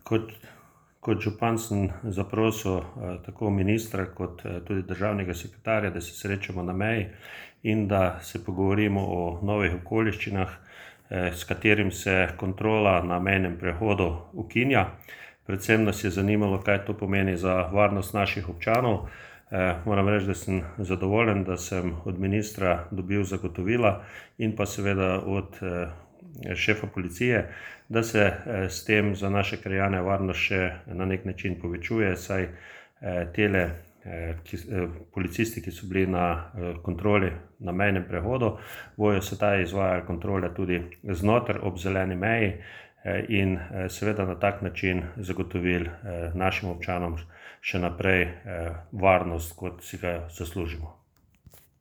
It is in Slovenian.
Kot župan sem zaprosil tako ministra kot tudi državnega sekretarja, da se srečamo na meji in da se pogovorimo o novih okoliščinah, s katerim se kontrola na mejnem prehodu ukinja. Predvsem nas je zanimalo, kaj to pomeni za varnost naših občanov. Moram reči, da sem zadovoljen, da sem od ministra dobil zagotovila in pa seveda od šefa policije, da se s tem za naše krajane varnost še na nek način povečuje, saj tele policisti, ki so bili na kontroli na mejnem prehodu, bojo sedaj izvajali kontrole tudi znotraj ob zeleni meji in seveda na tak način zagotovili našim občanom še naprej varnost, kot si ga zaslužimo.